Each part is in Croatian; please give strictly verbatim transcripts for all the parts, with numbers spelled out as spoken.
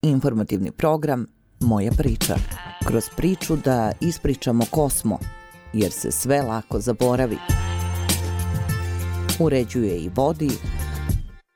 Informativni program Moja priča. Kroz priču da ispričamo ko smo, jer se sve lako zaboravi. Uređuje i vodi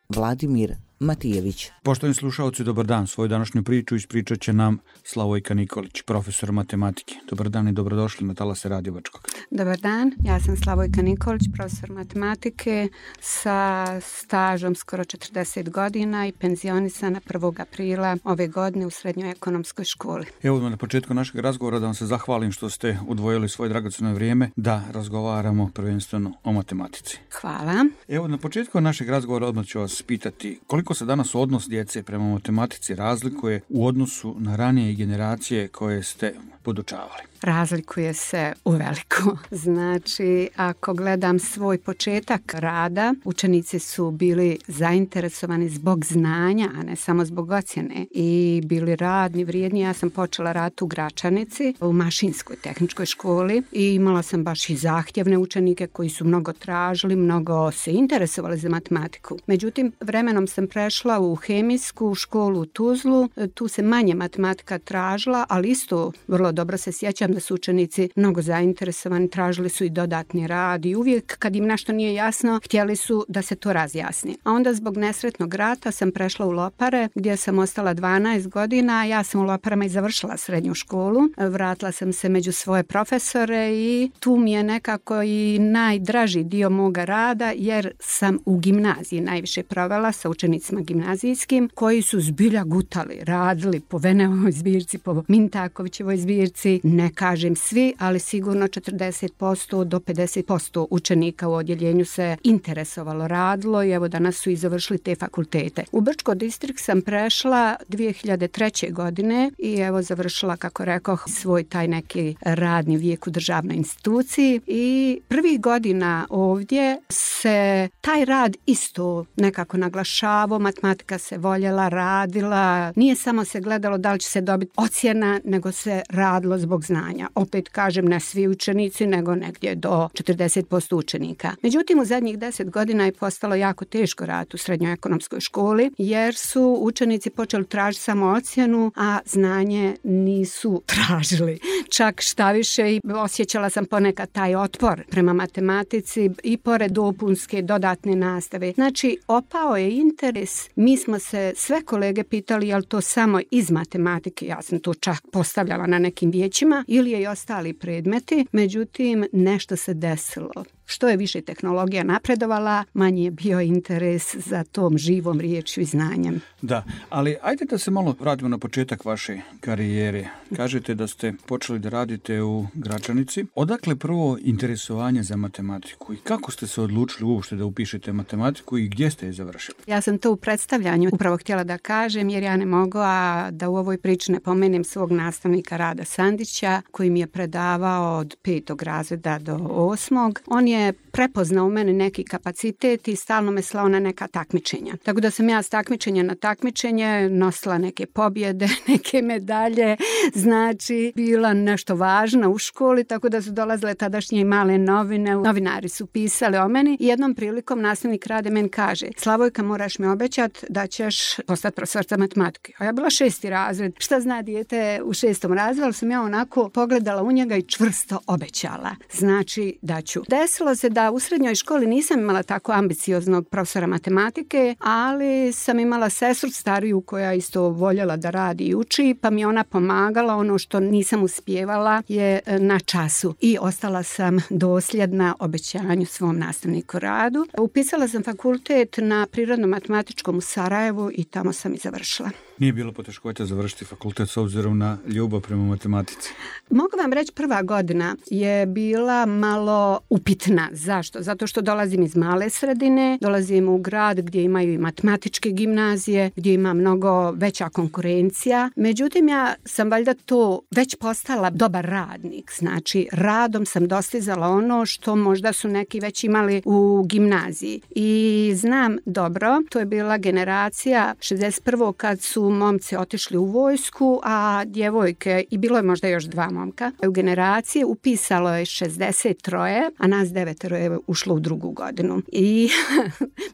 Vladimir Matijević. Poštovani slušalci, dobar dan. Svoju današnju priču ispričat će nam Slavojka Nikolić, profesor matematike. Dobar dan i dobrodošli na talase Radio Bačkog. Dobar dan, ja sam Slavojka Nikolić, profesor matematike sa stažom skoro četrdeset godina i penzionisana prvog aprila ove godine u Srednjoj ekonomskoj školi. Evo na početku našeg razgovora da vam se zahvalim što ste udvojili svoje dragocjeno vrijeme da razgovaramo prvenstveno o matematici. Hvala. Evo na početku našeg razgovora odmah ću vas pitati koliko se danas odnos djece prema matematici razlikuje u odnosu na ranije generacije koje ste podučavali? Razlikuje se uveliko. Znači, ako gledam svoj početak rada, učenici su bili zainteresovani zbog znanja, a ne samo zbog ocjene. I bili radni, vrijedni. Ja sam počela rad u Gračanici, u mašinskoj tehničkoj školi i imala sam baš i zahtjevne učenike koji su mnogo tražili, mnogo se interesovali za matematiku. Međutim, vremenom sam prešla u hemijsku školu u Tuzlu. Tu se manje matematika tražila, ali isto vrlo dobro se sjećam da su učenici mnogo zainteresovani, tražili su i dodatni rad i uvijek kad im nešto nije jasno, htjeli su da se to razjasni. A onda zbog nesretnog rata sam prešla u Lopare gdje sam ostala dvanaest godina, a ja sam u Loparama i završila srednju školu. Vratila sam se među svoje profesore i tu mi je nekako i najdraži dio moga rada jer sam u gimnaziji najviše provela sa učenicima gimnazijskim koji su zbilja gutali, radili po Veneovoj zbirci, po Mintakovićevoj zbirci, ne kažem svi, ali sigurno četrdeset posto do pedeset posto učenika u odjeljenju se interesovalo, radilo i evo danas su i završili te fakultete. U Brčko distrikt sam prešla dvije hiljade treće. godine i evo završila, kako rekoh, svoj taj neki radni vijek u državnoj instituciji i prvih godina ovdje se taj rad isto nekako naglašavao, matematika se voljela, radila, nije samo se gledalo da li će se dobiti ocjena, nego se radilo zbog znanja. Opet kažem, ne svi učenici, nego negdje do četrdeset posto učenika. Međutim, u zadnjih deset godina je postalo jako teško raditi u srednjoj ekonomskoj školi, jer su učenici počeli tražiti samo ocjenu, a znanje nisu tražili. Čak šta više, osjećala sam ponekad taj otpor prema matematici i pored dopunske dodatne nastave. Znači, opao je interes. Mi smo se sve kolege pitali je li to samo iz matematike, ja sam to čak postavljala na nekim vijećima, ili je i ostali predmeti, međutim nešto se desilo. Što je više tehnologija napredovala, manje je bio interes za tom živom riječju i znanjem. Da, ali ajde da se malo vratimo na početak vaše karijere. Kažete da ste počeli da radite u Gračanici. Odakle prvo interesovanje za matematiku i kako ste se odlučili uopšte da upišete matematiku i gdje ste je završili? Ja sam to u predstavljanju upravo htjela da kažem, jer ja ne mogu a da u ovoj priči ne pomenem svog nastavnika Rada Sandića, koji mi je predavao od petog razreda do osmog. On je prepoznao u mene neki kapacitet i stalno me slao na neka takmičenja. Tako da sam ja s takmičenja na takmičenje nosila neke pobjede, neke medalje, znači bila nešto važna u školi, tako da su dolazile tadašnje i male novine, novinari su pisali o meni i jednom prilikom nastavnik Rade meni kaže: Slavojka, moraš mi obećati da ćeš postati profesorica matematike. A ja bila šesti razred. Šta zna dijete u šestom razredu, ali sam ja onako pogledala u njega i čvrsto obećala. Znači da ću. Desilo se da u srednjoj školi nisam imala tako ambicioznog profesora matematike, ali sam imala sestru stariju koja isto voljela da radi i uči, pa mi ona pomagala. Ono što nisam uspijevala je na času i ostala sam dosljedna obećanju svom nastavniku Radu. Upisala sam fakultet na Prirodno-matematičkom u Sarajevu i tamo sam i završila. Nije bilo poteškoća završiti fakultet s obzirom na ljubav prema matematici? Mogu vam reći, prva godina je bila malo upitna. Zašto? Zato što dolazim iz male sredine, dolazim u grad gdje imaju i matematičke gimnazije, gdje ima mnogo veća konkurencija. Međutim, ja sam valjda to već postala dobar radnik. Znači, radom sam dostizala ono što možda su neki već imali u gimnaziji. I znam dobro, to je bila generacija šezdeset prvog kad su su momci otišli u vojsku, a djevojke, i bilo je možda još dva momka, u generaciji upisalo je šezdeset tri, a nas devetero je ušlo u drugu godinu. I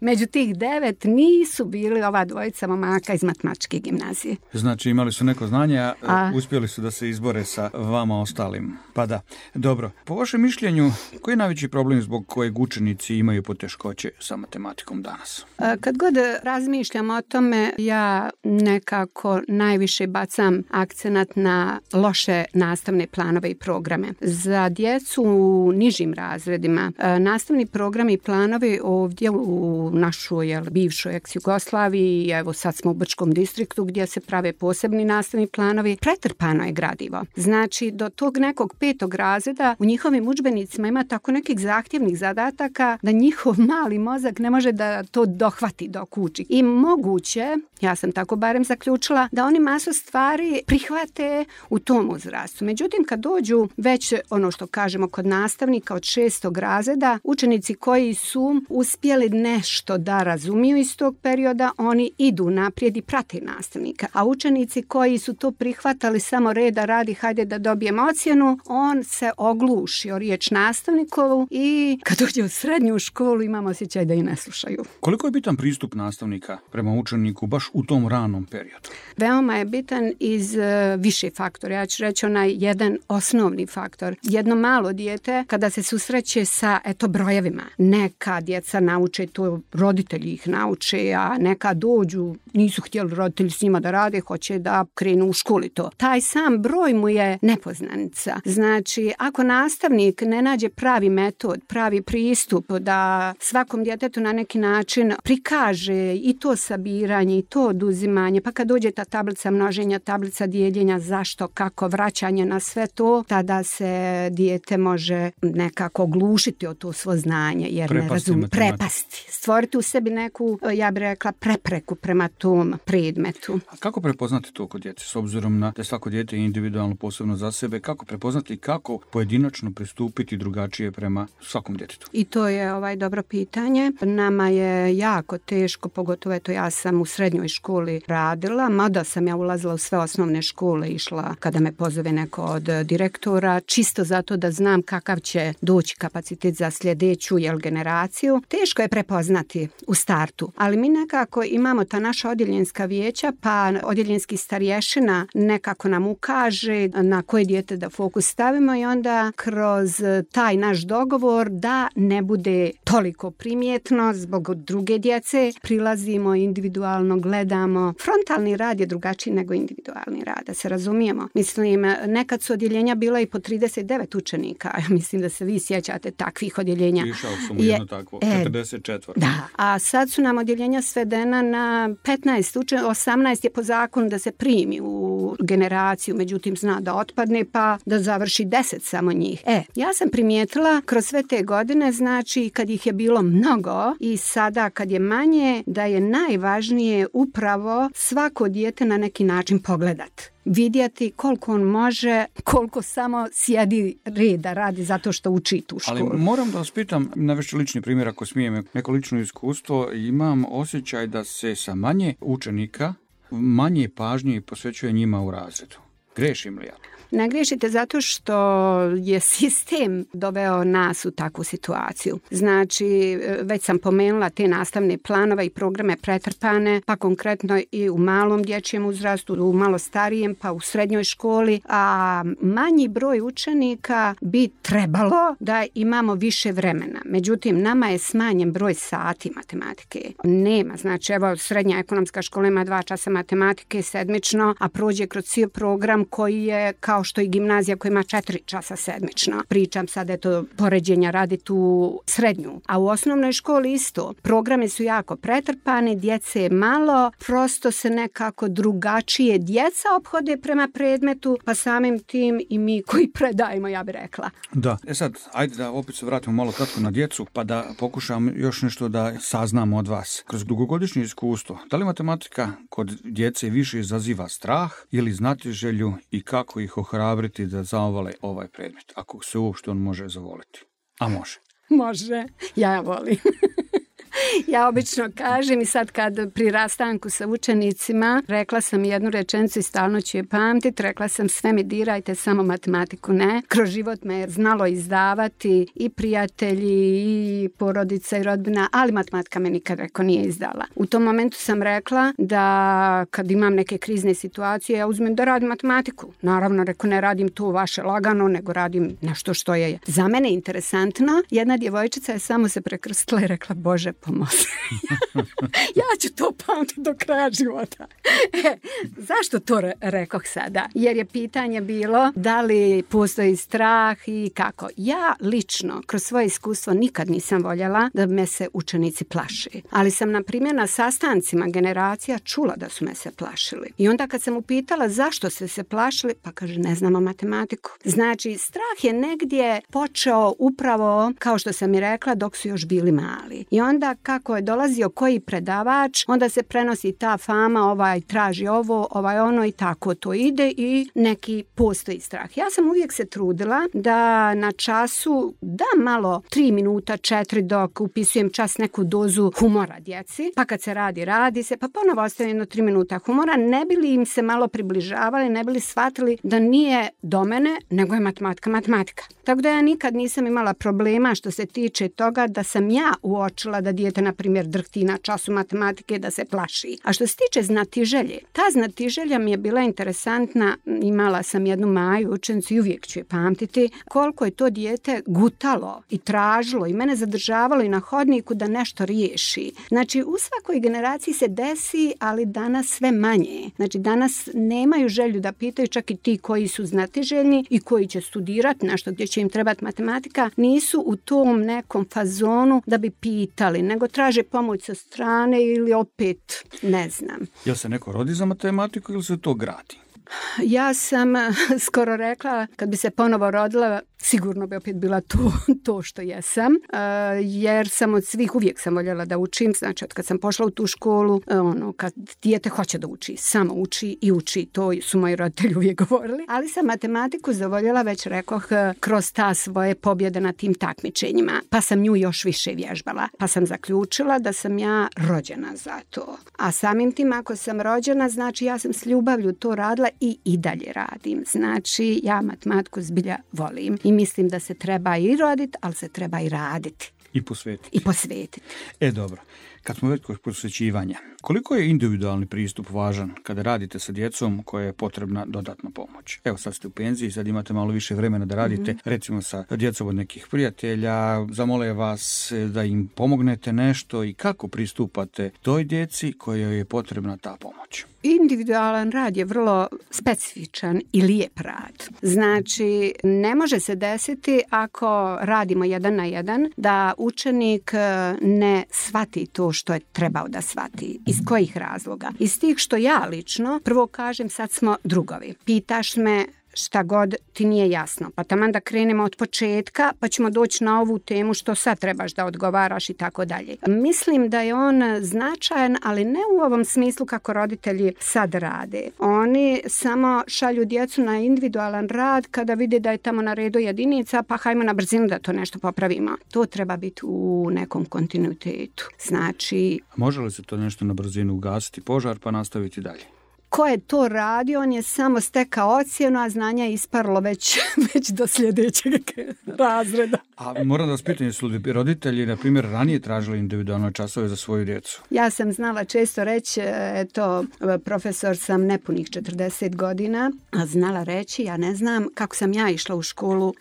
među tih devet nisu bili ova dvojica momaka iz matematičke gimnazije. Znači imali su neko znanje, a, a uspjeli su da se izbore sa vama ostalim. Pa da, dobro. Po vašem mišljenju, koji je najveći problem zbog kojeg učenici imaju poteškoće sa matematikom danas? Kad god razmišljam o tome, ja nekako najviše bacam akcenat na loše nastavne planove i programe. Za djecu u nižim razredima nastavni programi i planovi ovdje u našoj jel, bivšoj ex-Jugoslaviji, evo sad smo u Brčkom distriktu gdje se prave posebni nastavni planovi, pretrpano je gradivo. Znači, do tog nekog petog razreda u njihovim udžbenicima ima tako nekih zahtjevnih zadataka da njihov mali mozak ne može da to dohvati dok uči. I moguće, ja sam tako barem zaključila, da oni masu stvari prihvate u tom uzrastu. Međutim, kad dođu već ono što kažemo kod nastavnika od šestog razreda, učenici koji su uspjeli nešto da razumiju iz tog perioda, oni idu naprijed i prate nastavnika. A učenici koji su to prihvatali samo reda radi, hajde da dobijemo ocjenu, on se ogluši o riječ nastavnikovu i kad dođe u srednju školu imamo osjećaj da i ne slušaju. Koliko je bitan pristup nastavnika prema učeniku baš u tom ranom periodu? Veoma je bitan iz uh, više faktora. Ja ću reći onaj jedan osnovni faktor. Jedno malo dijete kada se susreće sa eto brojevima, neka djeca nauče to, roditelji ih nauče, a neka dođu, nisu htjeli roditelji s njima da rade, hoće da krenu u školi to. Taj sam broj mu je nepoznanica. Znači, ako nastavnik ne nađe pravi metod, pravi pristup da svakom djetetu na neki način prikaže i to sabiranje i to oduzimanje, pa kad dođe ta tablica množenja, tablica dijeljenja, zašto, kako, vraćanje na sve to, tada se dijete može nekako oglušiti o to svo znanje, jer prepasti ne razumije, prepasti, stvoriti u sebi neku, ja bih rekla, prepreku prema tom predmetu. A kako prepoznati to kod djece, s obzirom na da svako dijete je individualno posebno za sebe, kako prepoznati i kako pojedinačno pristupiti drugačije prema svakom djetetu? I to je ovaj dobro pitanje. Nama je jako teško, pogotovo eto ja sam u srednjoj školi radila, mada sam ja ulazila u sve osnovne škole, išla kada me pozove neko od direktora, čisto zato da znam kakav će doći kapacitet za sljedeću jel, generaciju. Teško je prepoznati u startu, ali mi nekako imamo ta naša odjeljenska vijeća, pa odjeljenski starješina nekako nam ukaže na koje dijete da fokus stavimo i onda kroz taj naš dogovor da ne bude toliko primjetno zbog druge djece, prilazimo individualno, gledamo. Frontalni rad je drugačiji nego individualni rad, da se razumijemo. Mislim, nekad su odjeljenja bila i po trideset devet učenika. Mislim da se vi sjećate takvih odjeljenja. Išao sam u jedno takvo, četrdeset četiri. Da, a sad su nam odjeljenja svedena na petnaest učenika, osamnaest je po zakonu da se primi u generaciju, međutim zna da otpadne pa da završi deset samo njih. E, ja sam primijetila kroz sve te godine, znači kad ih je bilo mnogo i sada kad je manje, da je najvažnije upravo svako dijete na neki način pogledat. Vidjeti koliko on može, koliko samo sjedi reda radi zato što uči tu školu. Ali moram da vas pitam, navešću lični primjer ako smijem, neko lično iskustvo, imam osjećaj da se sa manje učenika manje pažnje posvećuje njima u razredu. Grešim li ja? Ne griješite zato što je sistem doveo nas u takvu situaciju. Znači, već sam pomenula te nastavne planove i programe pretrpane, pa konkretno i u malom dječjem uzrastu, u malo starijem, pa u srednjoj školi, a manji broj učenika bi trebalo da imamo više vremena. Međutim, nama je smanjen broj sati matematike. Nema, znači, evo, srednja ekonomska škola ima dva časa matematike sedmično, a prođe kroz cijel program koji je kao što i gimnazija koja ima četiri časa sedmično. Pričam sad, eto, poređenja radi tu srednju. A u osnovnoj školi isto. Programe su jako pretrpani, djece je malo, prosto se nekako drugačije djeca ophode prema predmetu, pa samim tim i mi koji predajemo, ja bih rekla. Da, e sad, ajde da opet se vratimo malo kratko na djecu, pa da pokušam još nešto da saznamo od vas. Kroz dugogodišnje iskustvo, da li matematika kod djece više izaziva strah ili znatiželju i kako ih ohrabriti da zavole ovaj predmet, ako se uopšte on može zavoliti? A može. Može. Ja volim. Ja obično kažem i sad kad pri rastanku sa učenicima rekla sam jednu rečenicu i stalno ću je pamtiti, rekla sam sve mi dirajte, samo matematiku ne. Kroz život me je znalo izdavati i prijatelji i porodica i rodbina, ali matematika me nikad reko nije izdala. U tom momentu sam rekla da kad imam neke krizne situacije ja uzmem da radim matematiku. Naravno, reko ne radim to vaše lagano, nego radim nešto što je za mene interesantno. Jedna djevojčica je samo se prekrstila i rekla Bože pomozi. Ja ću to pamtiti do kraja života. E, zašto to re- rekoh sada? Jer je pitanje bilo da li postoji strah i kako. Ja lično kroz svoje iskustvo nikad nisam voljela da me se učenici plaši. Ali sam na primjer na sastancima generacija čula da su me se plašili. I onda kad sam upitala zašto ste se plašili, pa kaže ne znamo matematiku. Znači strah je negdje počeo upravo kao što sam i rekla dok su još bili mali. I onda kako je dolazio koji predavač, onda se prenosi ta fama, ovaj traži ovo, ovaj ono i tako to ide i neki postoji strah. Ja sam uvijek se trudila da na času da malo tri minuta, četiri dok upisujem čas neku dozu humora djeci, pa kad se radi, radi se, pa ponovo ostavim jedno tri minuta humora, ne bi li im se malo približavali, ne bi li shvatili da nije do mene, nego je matematika, matematika. Tako da ja nikad nisam imala problema što se tiče toga da sam ja uočila da dijete, na primjer, drhti na času matematike, da se plaši. A što se tiče znatiželje, ta znatiželja mi je bila interesantna, imala sam jednu Maju učenicu i uvijek ću je pamtiti, koliko je to dijete gutalo i tražilo i mene zadržavalo i na hodniku da nešto riješi. Znači, u svakoj generaciji se desi, ali danas sve manje. Znači, danas nemaju želju da pitaju, čak i ti koji su znatiželjni i koji će studirati nešto gdje će im trebati matematika, nisu u tom nekom fazonu da bi pitali, nego traže pomoć sa strane ili opet, ne znam. Jel se neko rodi za matematiku ili se to gradi? Ja sam skoro rekla, kad bi se ponovo rodila, sigurno bi opet bila to, to što jesam, jer sam od svih uvijek sam voljela da učim, znači od kad sam pošla u tu školu, ono, kad dijete hoće da uči, samo uči i uči, to su moji roditelji uvijek govorili, ali sam matematiku zavoljela, već rekoh, kroz ta svoje pobjede na tim takmičenjima, pa sam nju još više vježbala, pa sam zaključila da sam ja rođena za to. A samim tim, ako sam rođena, znači ja sam s ljubavlju to radila i i dalje radim. Znači, ja matematiku zbilja volim i mislim da se treba i roditi, ali se treba i raditi. I posvetiti. I posvetiti. E, dobro. Kad smo već kod posvećivanja, koliko je individualni pristup važan kada radite sa djecom koja je potrebna dodatna pomoć? Evo, sad ste u penziji, sad imate malo više vremena da radite, mm-hmm. recimo sa djecom od nekih prijatelja, zamole vas da im pomognete nešto i kako pristupate toj djeci kojoj je potrebna ta pomoć? Individualan rad je vrlo specifičan i lijep rad. Znači, ne može se desiti ako radimo jedan na jedan da učenik ne shvati to što je trebao da shvati. Iz kojih razloga? Iz tih što ja lično, prvo kažem, sad smo drugovi. Pitaš me šta god ti nije jasno. Pa taman da krenemo od početka, pa ćemo doći na ovu temu što sad trebaš da odgovaraš i tako dalje. Mislim da je on značajan, ali ne u ovom smislu kako roditelji sad rade. Oni samo šalju djecu na individualan rad kada vide da je tamo na redu jedinica, pa hajmo na brzinu da to nešto popravimo. To treba biti u nekom kontinuitetu. Znači... Može li se to nešto na brzinu ugasiti požar pa nastaviti dalje? Ko je to radio, on je samo stekao ocjenu, a znanja je isparlo već, već do sljedećeg razreda. A moram da vas pitam, jesu li roditelji, na primjer, ranije tražili individualne časove za svoju djecu? Ja sam znala često reći, eto, profesor sam nepunih četrdeset godina, a znala reći, ja ne znam kako sam ja išla u školu.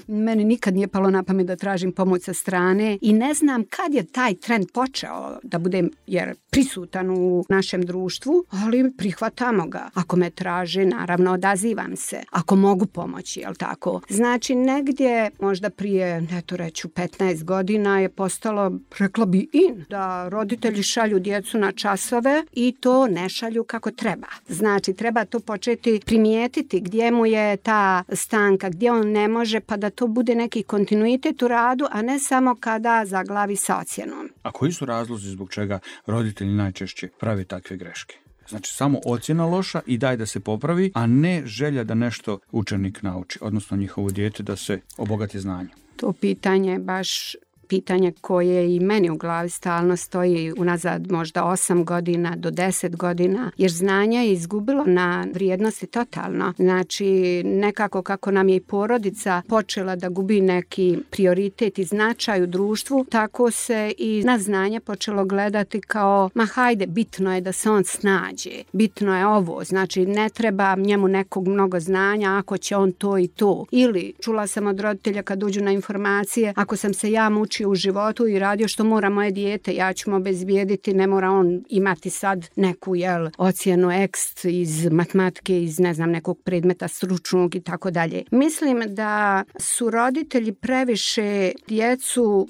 Meni nikad nije palo na pamet da tražim pomoć sa strane i ne znam kad je taj trend počeo da budem, jer prisutan u našem društvu, ali prihvatamo ga. Ako me traži, naravno odazivam se. Ako mogu pomoći, jel tako? Znači, negdje, možda prije, eto reću, petnaest godina je postalo, rekla bi in, da roditelji šalju djecu na časove i to ne šalju kako treba. Znači, treba to početi primijetiti gdje mu je ta stanka, gdje on ne može, pa da to bude neki kontinuitet u radu, a ne samo kada zaglavi sa ocjenom. A koji su razlozi zbog čega roditelji najčešće prave takve greške? Znači, samo ocjena loša i daj da se popravi, a ne želja da nešto učenik nauči, odnosno njihovo dijete da se obogati znanje. To pitanje baš pitanje koje i meni u glavi stalno stoji unazad možda osam godina do deset godina, jer znanje je izgubilo na vrijednosti totalno. Znači, nekako kako nam je i porodica počela da gubi neki prioritet i značaj u društvu, tako se i na znanje počelo gledati kao, ma hajde, bitno je da se on snađe, bitno je ovo, znači ne treba njemu nekog mnogo znanja ako će on to i to. Ili čula sam od roditelja kad uđu na informacije, ako sam se ja mučio u životu i radio što mora moje dijete, ja ću mu obezbijediti, ne mora on imati sad neku jel, ocjenu ekst iz matematike, iz ne znam nekog predmeta stručnog i tako dalje. Mislim da su roditelji previše djecu,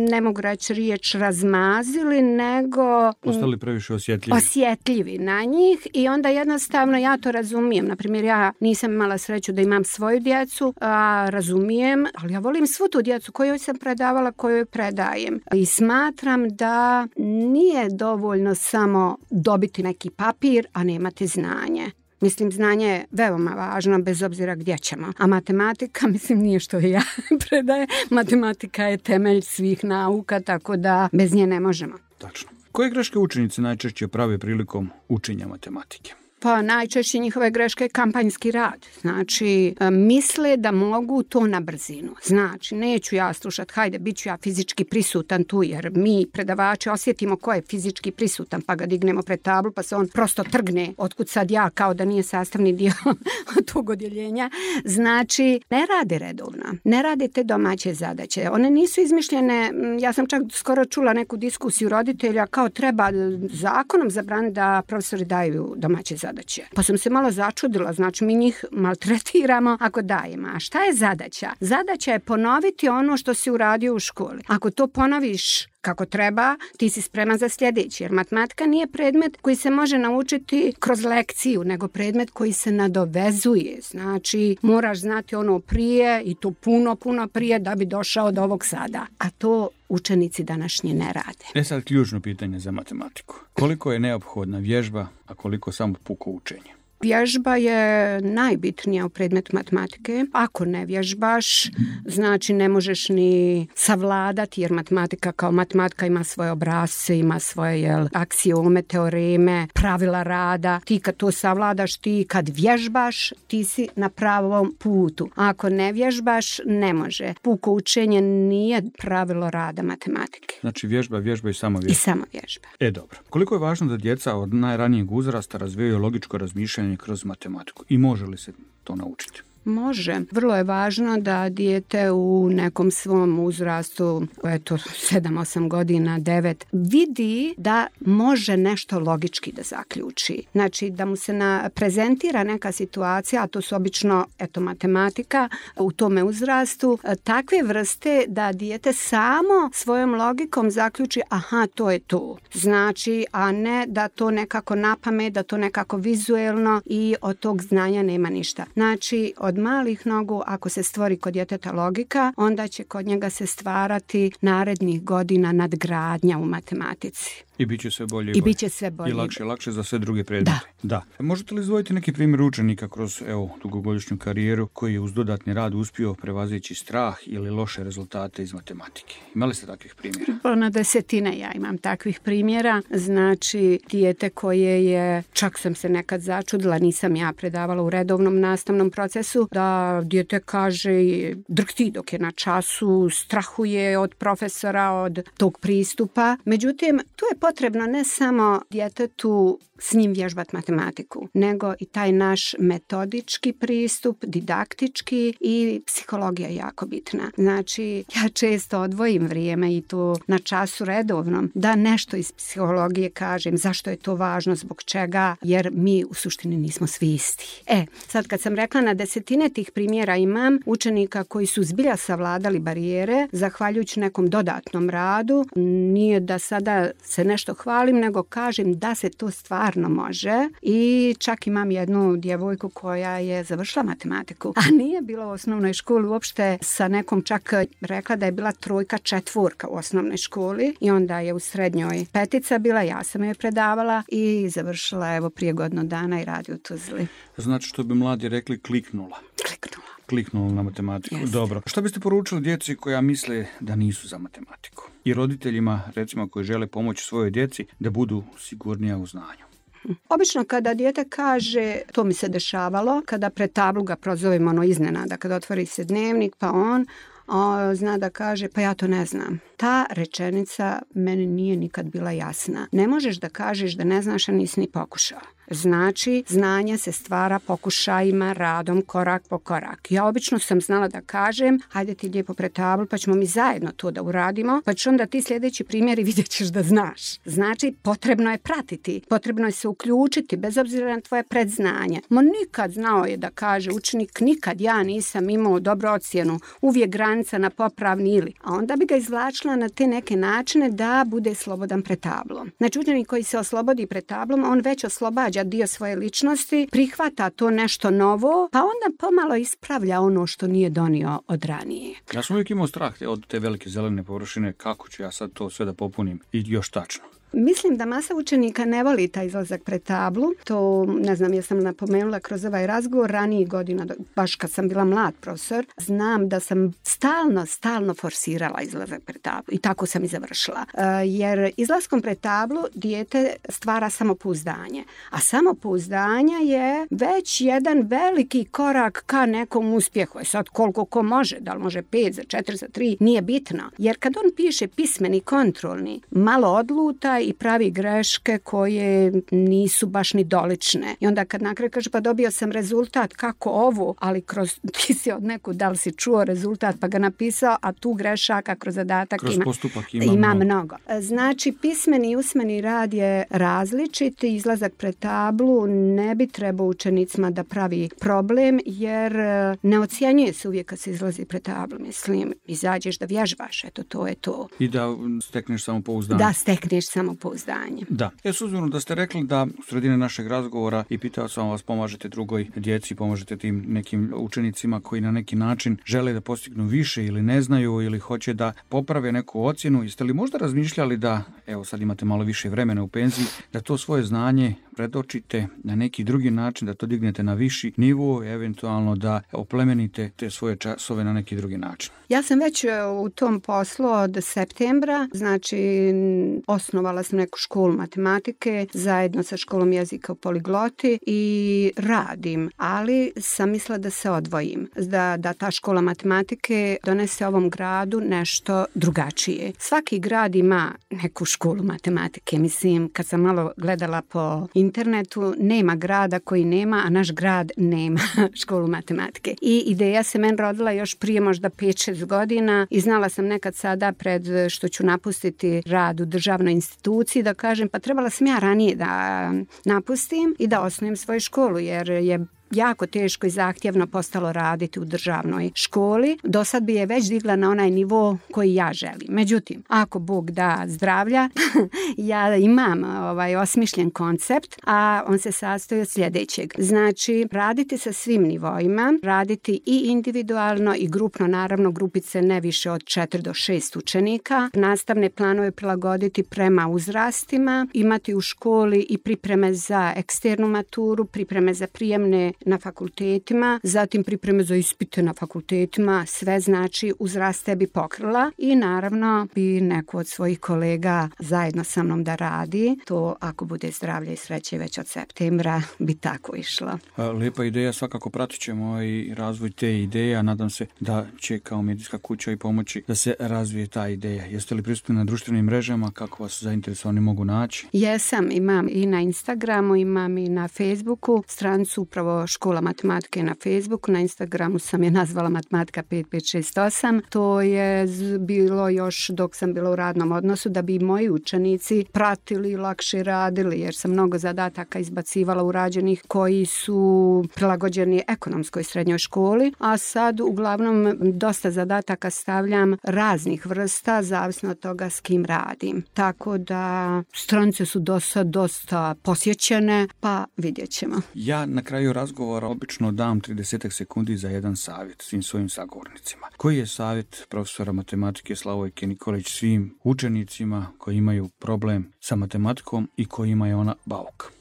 ne mogu reći riječ razmazili, nego postali previše osjetljivi. osjetljivi na njih i onda jednostavno ja to razumijem. Naprimjer, ja nisam imala sreću da imam svoju djecu, a razumijem, ali ja volim svu tu djecu kojoj sam predavala, kojoj predajem. I smatram da nije dovoljno samo dobiti neki papir, a nemati znanje. Mislim, znanje je veoma važno bez obzira gdje ćemo. A matematika, mislim, nije što ja predaje. Matematika je temelj svih nauka, tako da bez nje ne možemo. Tačno. Koje greške učenici najčešće prave prilikom učenja matematike? Pa najčešće njihove greške je kampanjski rad. Znači, misle da mogu to na brzinu. Znači, neću ja slušati, hajde, bit ću ja fizički prisutan tu, jer mi predavači osjetimo ko je fizički prisutan, pa ga dignemo pred tablu, pa se on prosto trgne, otkud sad ja, kao da nije sastavni dio tog odjeljenja. Znači, ne rade redovno, ne rade te domaće zadaće. One nisu izmišljene, ja sam čak skoro čula neku diskusiju roditelja, kao treba zakonom zabraniti da profesori daju domaće zadaće. Zadaće. Pa sam se malo začudila, znači mi njih maltretiramo ako dajemo. A šta je zadaća? Zadaća je ponoviti ono što si uradio u školi. Ako to ponoviš kako treba, ti si spreman za sljedeći. Jer matematika nije predmet koji se može naučiti kroz lekciju, nego predmet koji se nadovezuje. Znači, moraš znati ono prije i to puno, puno prije da bi došao do ovog sada. A to učenici današnji ne rade. E sad ključno pitanje za matematiku. Koliko je neophodna vježba, a koliko samo puko učenje? Vježba je najbitnija u predmetu matematike. Ako ne vježbaš, znači ne možeš ni savladati, jer matematika kao matematika ima svoje obrasce, ima svoje jel, aksiome, teoreme, pravila rada. Ti kad to savladaš, ti kad vježbaš, ti si na pravom putu. Ako ne vježbaš, ne može. Puko učenje nije pravilo rada matematike. Znači vježba, vježba i samo vježba. I samo vježba. E dobro. Koliko je važno da djeca od najranijeg uzrasta razvijaju logičko razmišljanje kroz matematiku i može li se to naučiti? Može. Vrlo je važno da dijete u nekom svom uzrastu, eto sedam osam godina, devet, vidi da može nešto logički da zaključi. Znači da mu se na, prezentira neka situacija, a to su obično eto matematika u tome uzrastu, takve vrste da dijete samo svojom logikom zaključi aha, to je to. Znači, a ne da to nekako napamet, da to nekako vizuelno i od tog znanja nema ništa. Znači, od malih nogu, ako se stvori kod djeteta logika, onda će kod njega se stvarati narednih godina nadgradnja u matematici. I bit će sve bolje i, I bolje. bit će sve bolje. I lakše, lakše za sve druge predmete. Da. da. Možete li izdvojiti neki primjer učenika kroz evo, dugogodišnju karijeru koji je uz dodatni rad uspio prevazići strah ili loše rezultate iz matematike? Imali ste takvih primjera? Na desetine ja imam takvih primjera. Znači, dijete koje je, čak sam se nekad začudila, nisam ja predavala u redovnom nastavnom procesu, da dijete kaže drhti dok je na času, strahuje od profesora, od tog pristupa. Međutim, tu je potrebno ne samo djetetu s njim vježbati matematiku, nego i taj naš metodički pristup, didaktički i psihologija je jako bitna. Znači, ja često odvojim vrijeme i to na času redovnom da nešto iz psihologije kažem, zašto je to važno, zbog čega, jer mi u suštini nismo svi isti. E, sad kad sam rekla na desetine tih primjera imam učenika koji su zbilja savladali barijere, zahvaljujući nekom dodatnom radu, nije da sada se nešto hvalim, nego kažem da se to stvarno može i čak imam jednu djevojku koja je završila matematiku, a nije bila u osnovnoj školi uopšte, sa nekom čak rekla da je bila trojka četvorka u osnovnoj školi i onda je u srednjoj petica bila, ja sam je predavala i završila evo prije godinu dana i radi u Tuzli. Znači što bi mladi rekli kliknula. Kliknula. kliknulo na matematiku. Jeste. Dobro. Što biste poručili djeci koja misle da nisu za matematiku? I roditeljima, recimo, koji žele pomoći svojoj djeci da budu sigurnija u znanju? Obično kada dijete kaže, to mi se dešavalo, kada pred tablu ga prozovemo ono iznenada, kada otvori se dnevnik pa on o, zna da kaže pa ja to ne znam. Ta rečenica meni nije nikad bila jasna. Ne možeš da kažeš da ne znaš, a nisi ni pokušao. Znači, znanje se stvara pokušajima, radom, korak po korak. Ja obično sam znala da kažem, hajde ti lijepo pred tablu, pa ćemo mi zajedno to da uradimo, pa ćeš onda ti sljedeći primjer i vidjet ćeš da znaš. Znači, potrebno je pratiti, potrebno je se uključiti, bez obzira na tvoje predznanje. Mo nikad znao je da kaže učenik, nikad ja nisam imao dobru ocjenu, uvijek granica na popravni ili. A onda bi ga izvlačila na te neke načine da bude slobodan pred tablom. Znači, učenik koji se oslobodi pred tablom, on već oslobađa dio svoje ličnosti, prihvata to nešto novo, pa onda pomalo ispravlja ono što nije donio od ranije. Ja sam uvijek imao strah od te velike zelene površine, kako ću ja sad to sve da popunim i još tačno. Mislim da masa učenika ne voli taj izlazak pred tablu. To, ne znam, ja sam napomenula kroz ovaj razgovor ranijih godina, baš kad sam bila mlad profesor, znam da sam stalno, stalno forsirala izlazak pred tablu i tako sam i završila. E, jer izlaskom pred tablu dijete stvara samopouzdanje, a samopouzdanje je već jedan veliki korak ka nekom uspjehu. E sad koliko ko može, da li može pet za četiri za tri, nije bitno. Jer kad on piše pismeni kontrolni, malo odluta i pravi greške koje nisu baš ni dolične. I onda kad na kraju kaže pa dobio sam rezultat, kako ovo, ali kroz, ti si od neku, da li si čuo rezultat pa ga napisao, a tu grešaka kroz zadatak kroz ima, postupak ima, ima mnogo. mnogo. Znači pismeni i usmeni rad je različit, izlazak pred tablu ne bi trebao učenicima da pravi problem, jer ne ocjenjuje se uvijek kad se izlazi pred tablu. Mislim, izađeš da vježbaš, eto to je to. I da stekneš samopouzdanje. Da stekneš samopouzdanje. Da. Ja s uzmano da ste rekli da u sredine našeg razgovora i pitao sam vas pomažete drugoj djeci, pomažete tim nekim učenicima koji na neki način žele da postignu više ili ne znaju ili hoće da poprave neku ocjenu. Jeste li možda razmišljali da, evo sad imate malo više vremena u penziji, da to svoje znanje predočite na neki drugi način, da to dignete na viši nivo, eventualno da oplemenite te svoje časove na neki drugi način? Ja sam već u tom poslu od septembra, znači osnovala sam neku školu matematike zajedno sa školom jezika u Poligloti i radim, ali sam mislila da se odvojim, da, da ta škola matematike donese ovom gradu nešto drugačije. Svaki grad ima neku školu matematike, mislim, kad sam malo gledala po internetu, nema grada koji nema, a naš grad nema školu matematike. I ideja se meni rodila još prije možda pet šest godina i znala sam nekad sada pred što ću napustiti rad u državnoj instituciji da kažem pa trebala sam ja ranije da napustim i da osnujem svoju školu jer je jako teško i zahtjevno postalo raditi u državnoj školi. Do sad bi je već digla na onaj nivo koji ja želim. Međutim, ako Bog da zdravlja, ja imam ovaj osmišljen koncept, a on se sastoji od sljedećeg. Znači, raditi sa svim nivoima, raditi i individualno i grupno, naravno grupice ne više od četiri do šest učenika, nastavne planove prilagoditi prema uzrastima, imati u školi i pripreme za eksternu maturu, pripreme za prijemne na fakultetima, zatim pripreme za ispite na fakultetima, sve znači uzraste bi pokrila i naravno bi neko od svojih kolega zajedno sa mnom da radi. To ako bude zdravlje i sreće već od septembra bi tako išlo. Lijepa ideja, svakako pratit ćemo i razvoj te ideje, a nadam se da će kao medijska kuća i pomoći da se razvije ta ideja. Jeste li prisutni na društvenim mrežama, kako vas zainteresovani mogu naći? Jesam, imam i na Instagramu, imam i na Facebooku, stranicu upravo škola matematike na Facebooku, na Instagramu sam je nazvala matematika pet pet šest osam. To je bilo još dok sam bila u radnom odnosu da bi moji učenici pratili, lakše radili, jer sam mnogo zadataka izbacivala urađenih koji su prilagođeni ekonomskoj srednjoj školi, a sad uglavnom dosta zadataka stavljam raznih vrsta, zavisno od toga s kim radim. Tako da stranice su dosta, dosta posjećene, pa vidjet ćemo. Ja na kraju razgovora obično dam trideset sekundi za jedan savjet svim svojim sagovornicima. Koji je savjet profesora matematike Slavojke Nikolić svim učenicima koji imaju problem sa matematikom i kojima je ona bauk?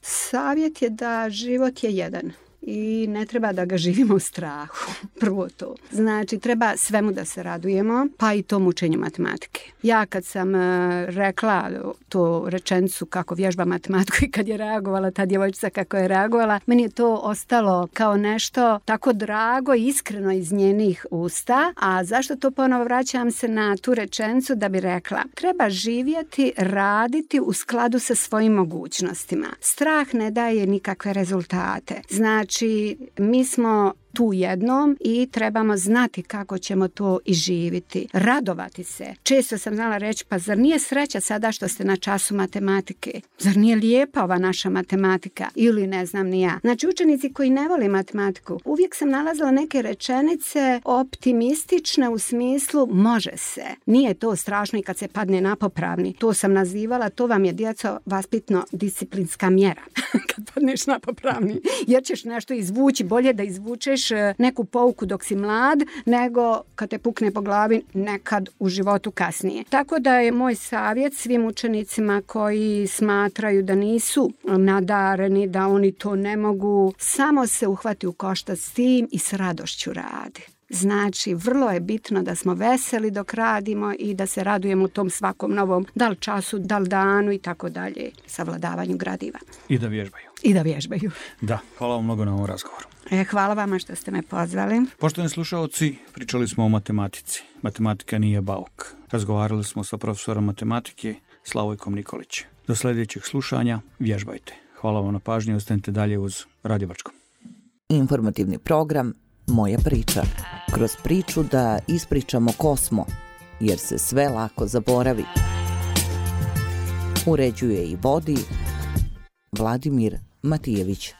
Savjet je da život je jedan i ne treba da ga živimo u strahu. Prvo to. Znači, treba svemu da se radujemo, pa i tom učenju matematike. Ja kad sam rekla tu rečenicu kako vježba matematiku i kad je reagovala ta djevojčica kako je reagovala, meni je to ostalo kao nešto tako drago i iskreno iz njenih usta. A zašto to ponovo vraćam se na tu rečenicu da bi rekla? Treba živjeti, raditi u skladu sa svojim mogućnostima. Strah ne daje nikakve rezultate. Znači, mi smo tu jednom i trebamo znati kako ćemo to i živjeti. Radovati se. Često sam znala reći, pa zar nije sreća sada što ste na času matematike? Zar nije lijepa ova naša matematika? Ili ne znam ni ja. Znači, učenici koji ne vole matematiku, uvijek sam nalazila neke rečenice optimistične u smislu može se. Nije to strašno i kad se padne na popravni. To sam nazivala, to vam je djeco vaspitno disciplinska mjera. Kad padneš na popravni. Jer ćeš nešto izvući, bolje da izvučeš neku pouku dok si mlad, nego kad te pukne po glavi nekad u životu kasnije. Tako da je moj savjet svim učenicima koji smatraju da nisu nadareni, da oni to ne mogu, samo se uhvati u koštac s tim i s radošću radi. Znači, vrlo je bitno da smo veseli dok radimo i da se radujemo u tom svakom novom, da li času, da li danu i tako dalje, savladavanju gradiva. I da vježbaju. I da vježbaju. Da, hvala vam mnogo na ovom razgovoru. E, hvala vama što ste me pozvali. Poštovani slušalci, pričali smo o matematici. Matematika nije bauk. Razgovarali smo sa profesorom matematike Slavojkom Nikolić. Do sljedećeg slušanja vježbajte. Hvala vam na pažnji, ostanite dalje uz Radio Brčko. Informativni program Moja priča. Kroz priču da ispričamo ko smo, jer se sve lako zaboravi. Uređuje i vodi Vladimir Matijević.